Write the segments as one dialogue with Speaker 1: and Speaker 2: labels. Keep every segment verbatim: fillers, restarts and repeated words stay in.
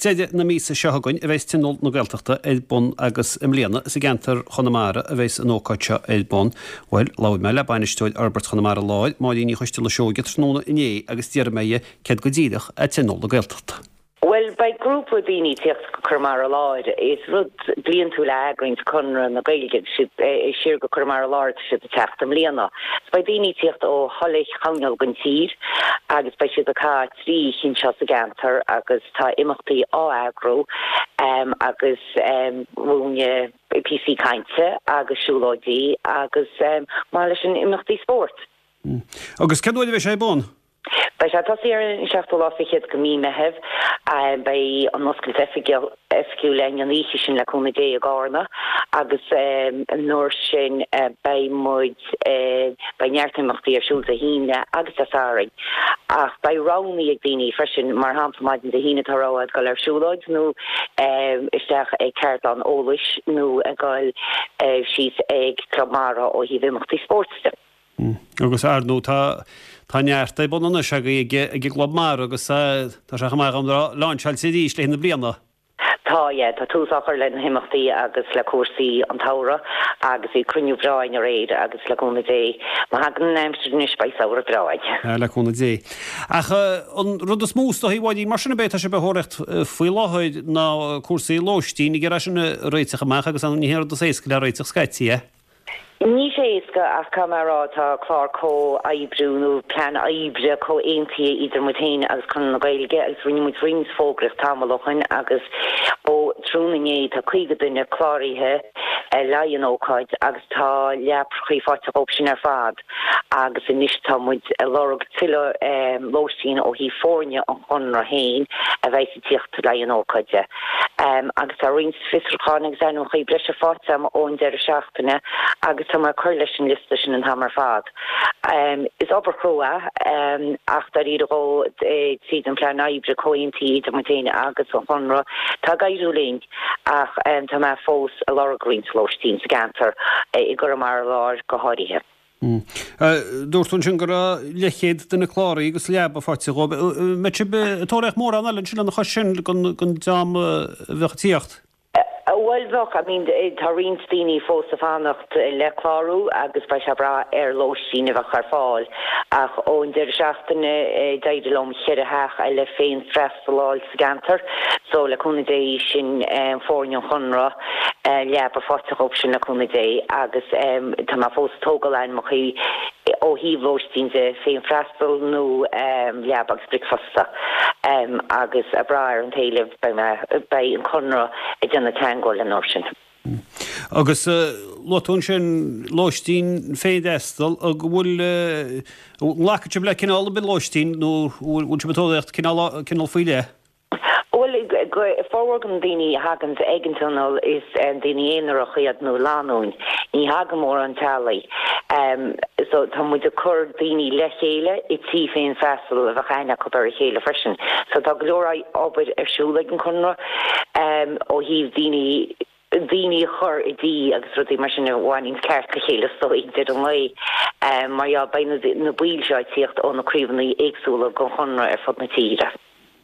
Speaker 1: deireadh na míosa seo chugainn a bheas Tionól na Gaeltachta ar bun agus i mbliana is i gceantar Chonamara a bheas an ócáid seo ar bun. Bhuel, labhair mé le Bainisteoir Fhorbairt Chonamara Láir, Máirín Ní Choisteala Seoige tráthnóna inné agus d'iarr mé uirthi céard go díreach é Tionól na Gaeltachta.
Speaker 2: Bhuel, beidh grúpa daoine ag tíocht go Conamara Láir. Is rud bliantúil a eagraíonns Conradh na Gaeilge siad siar go Conamara Láir tá siad ag teacht i mbliana. So beidh daoine ag tíocht ó chuile chearn den tír agus beidh siad ag caitheamh trí oíche anseo sa gceantar agus tá imeachtaí á eagrú um, agus um, múine píosaí cainte agus siúlóidí agus um, mar leis an imeachtaí spóirt.
Speaker 1: Mm. Agus cén uair a bheidh sé ar bun?
Speaker 2: Beidh sé tosaí ar an seachtú lá fichead de mhí Meitheamh, beidh an oscailt oifigiúil againn an oíche sin le cúnamh Dé i gCarna agus an uair sin beidh muid beidh neart imeachtaí ar siúl Dé hAoine agus Dé Sathairn. Ach beidh roghanna ag daoine freisin mar shampla maidin Dé hAoine tá rogha ag dul ar siúlóid nó isteach ag ceardlann eolais nó ag dul síos ag Club Mara ó thaobh imeachtaí spóirt.
Speaker 1: Mm. Agus ar ndóigh tá tá neart ar bun anois agaibh ag ag Club Mara agus tá sé chomh maith an láinseáilte arís le na bliana.
Speaker 2: Tá yeah, tá tús á chur le na himeachtaí agus le cúrsaí an tsamhraidh agus bhí cruinniú breá againn aréir agus le cúnamh Dé. Má thagann an aimsir anois beidh samhradh breá againn.
Speaker 1: Le cúnamh Dé. Ach an rud is mó is dóichí a Mháirín mar sin a bheidh tá sibh ag tóraíocht faoi láthair ná cúrsaí lóistín ag iarraidh sin a réiteach amach agus an ní rud is éasca le réiteach scaití é.
Speaker 2: Ní sé éasca ach cá mar tá clár comhoibriú nó plean oibre comhaontaithe idir muid féin agus Conradh na Gaeilge agus rinne muid roinnt fógraíocht tamall ó shin agus ó tráthnóna inné tá caoga duine cláraithe le an ócáid agus tá leapacha faighte acu sin ar fad agus anois tá muid ag lorg tuilleadh um, lóistín ó thaobh foirne an Chonradh féin a bheidh ag tíocht le an ócáide. Um, agus tá roinnt fiosrúcháin agus ainmneacha breise faighte ón deireadh seachtaine agus tá mé ag cur leis an liosta sin an t-am ar fad. Um, is obair chrua um, ach dáiríre go tríd an plean oibre comhaontaithe idir muid féin agus an Chonradh Tá ag éirí linn ach um, tá mé fós ag lorg roinnt lóistín sa gceantar e, i gConamara Láir go háirithe.
Speaker 1: Mm. Dúirt tú sin go raibh leathchéad duine cláraithe agus leaba faighte dóibh. Mbeidh sibh ag tóraíocht mórán eile ansin lena chois sin don dream a bheadh ag tíocht.
Speaker 2: Bhuel bheadh I mean tá roinnt daoine fós ag fanacht le clárú agus beidh sé ag brath ar lóistín a bheith ar fáil ach ón deireadh seachtaine d'éirigh liom ceithre theach eile féin freastal sa gceantar so le cúnamh Dé sin um, foirne an Chonradh uh, leaba faighte acu sin le cúnamh Dé agus um, tá mé fós ag tógáil ainmneacha ó thaobh lóistín de féin freastal nó um, leaba agus bricfeasta um, agus ag brath ar an t-éileamh beidh an Conradh ag déanamh teagmháil an uair sin.
Speaker 1: Agus luaigh tú ansin lóistín féinfhreastail go bhfuil nglacann sibh le cineál ar bith lóistín nó bhfuil sibh ag tóraíocht cineál faoi leith?
Speaker 2: Well formhór na daoine a thagann ag an tionól is um, daoine aonarach iad nó lánúin ní thagann mórán teaghlaigh. Um, so tá muid ag cur daoine le chéile i tí féin freastal a bheadh aithne acu ar a chéile freisin. So tá go leor obair ar siúl ag an Chonradh um, ó thaobh daoine daoine a chur i dtí agus rudaí mar sin a bhaineann ceart le chéile so ag deireadh an lae um, mar ja beidh na, na baill seo ag tíocht ó na craobhanna éagsúla den Chonradh ar fud na tíre.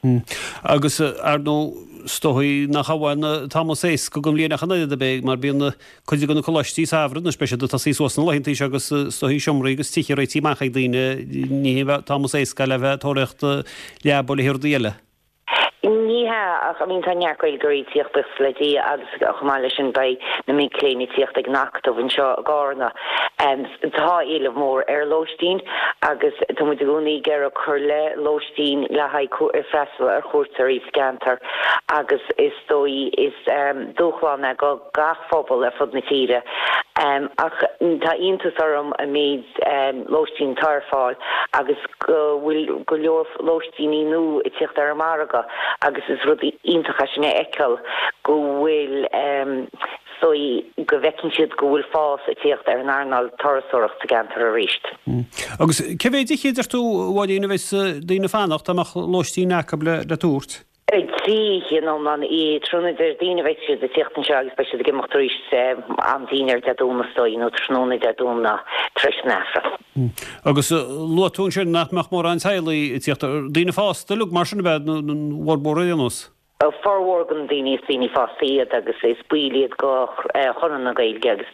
Speaker 1: Hmm. Agus ar ndóigh is dóichí nach amháin tá más éasca go mbliana an a bheidh mar bíonn cuid de na coláistí samhraidh na speisialta tá sí suas na laethanta agus is dóichí seomraí agus tithe réitithe amach ag daoine ní tá más éasca le bheith tóraíocht leaba le rudaí eile.
Speaker 2: Ní hea ach I mean tá neart Gaeilgeoirí ag tíocht buíochas le Dia agus chomh maith leis sin beidh na mic léinn ag tíocht ag an Acadamh anseo i gCarna. Um, tá éileamh mór ar lóistín agus tá muid i gcónaí ag iarraidh cur le lóistín le haghaidh freastal ar chuairteoirí sa gceantar agus is dóigh is um, dúshlán é go gach phobal ar fud na tíre. Um, ach tá iontas orm an méid um, lóistín atá ar fáil agus go bhfuil go leor lóistíní nua ag tíocht ar an margadh agus is rud iontach sin a fheiceáil go bhfuil um, so go bhfeiceann siad go bhfuil fás ag tíocht ar an earnáil turasóireacht sa gceantar arís.
Speaker 1: Mm. Agus cé mhéad oíche a deir tú a Mháirín a bheas daoine ag fanacht dá mbeadh lóistín acu le le tabhairt?
Speaker 2: Trí oíche in iomlán i tráthnóna Déardaoin beidh siad ag tíocht anseo agus beidh siad ag imeacht arís am dinnéir Dé Domhnaigh is dóigh nó tráthnóna Dé Domhnaigh tar éis an Aifrinn.
Speaker 1: Mm. Agus luaigh tú ansin nach mbeadh mórán teaghlaigh ag tíocht daoine fásta uilig mar sin a bheith bhfuil ar aon nós.
Speaker 2: Formhór den daoine is daoine fásta iad agus is baill iad go Chonradh na Gaeilge agus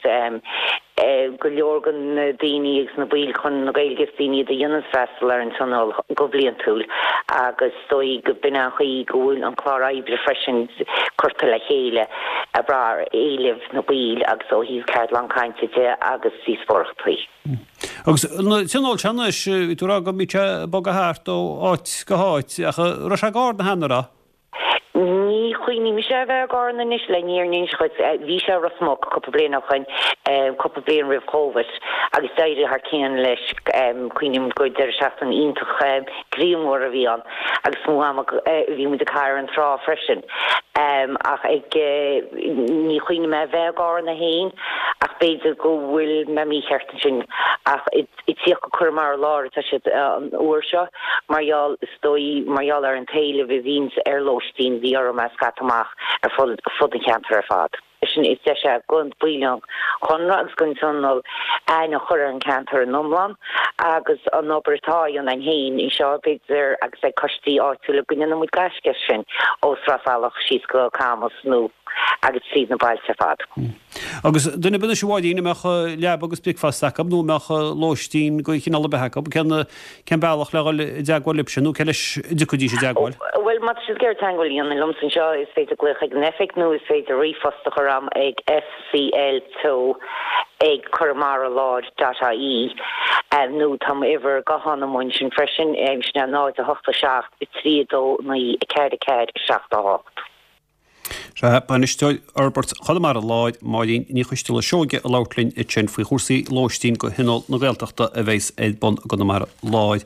Speaker 2: go leor den daoine agus na baill Chonradh na Gaeilge is daoine iad a dhéanann freastal ar an tionól go bliantúil agus dóigh go b'in an chaoi go bhfuil an clár oibre freisin curtha le chéile ag brath ar éilimh na baill agus ó thaobh ceardlann cainte de agus díospóireachtaí.
Speaker 1: Agus na tionól seo anois, bhí tú ag rá go mbíonn sé ag bogadh thart ó áit go háit ach an raibh sé i gCarna cheana, an raibh?
Speaker 2: Ní chuimhním-se a bheith i gCarna anois le an fhírinne a inse dhuit. Bhí sé i Ros Muc cúpla bliain ó shoin, cúpla bliain roimh Covid, agus d'éirigh thar cionn leis. Cuimhním gur deireadh seachtaine iontach grianmhar a bhí ann agus mó ama bhí muid ag caitheamh ar an trá freisin. Ach ag ní chuimhním a bheith i gCarna fhéin ach b'fhéidir go bhfuil mé mícheart ansin ach i dtíocht go Conamara Láir atá siad an uair seo mar gheall is dóigh mar gheall ar an t-éileamh a bhíonns ar lóistín bhí orm é a scaipeadh amach ar fud fud an cheantair ar fad. Sin is deis é do bhaill an Chonradh agus don Tionól aithne a chur ar an cheantar in iomlán agus an obair atá á dhéanamh againn féin anseo b'fhéidir agus ag coistí áitiúla go ndéanann muid gaisce as sin ó Sraith Salach síos go Camus nó agus tríd na bailte ar fad.
Speaker 1: Agus duine ar bith anois a Mháirín a mbeadh leaba agus bricfeasta acu nó a mbeadh lóistín de chineál ar bith acu, cén cén bealach le dhul i dteagmháil libhse nó cé leis a dtiocfaidís i dteagmháil?
Speaker 2: Bhuel, má tá siad ag iarraidh teagmháil a dhéanamh liomsa anseo, is féidir glaoch ag an oifig nó is féidir ríomhphost a chur a'm ag fcl ag conamara láir dot ie nó tá m'uimhir gutháin amuigh ansin freisin, sin é náid a hocht a seacht trí a dó naoi a ceathair a ceathair seacht a hocht.
Speaker 1: Sea, Bainisteoir Fhorbairt Chonamara Láir, Máirín Ní Choisteala Seoige ag labhairt linn ansin faoi chúrsaí lóistín do Thionól na Gaeltachta a bheas ar bun i gConamara Láir.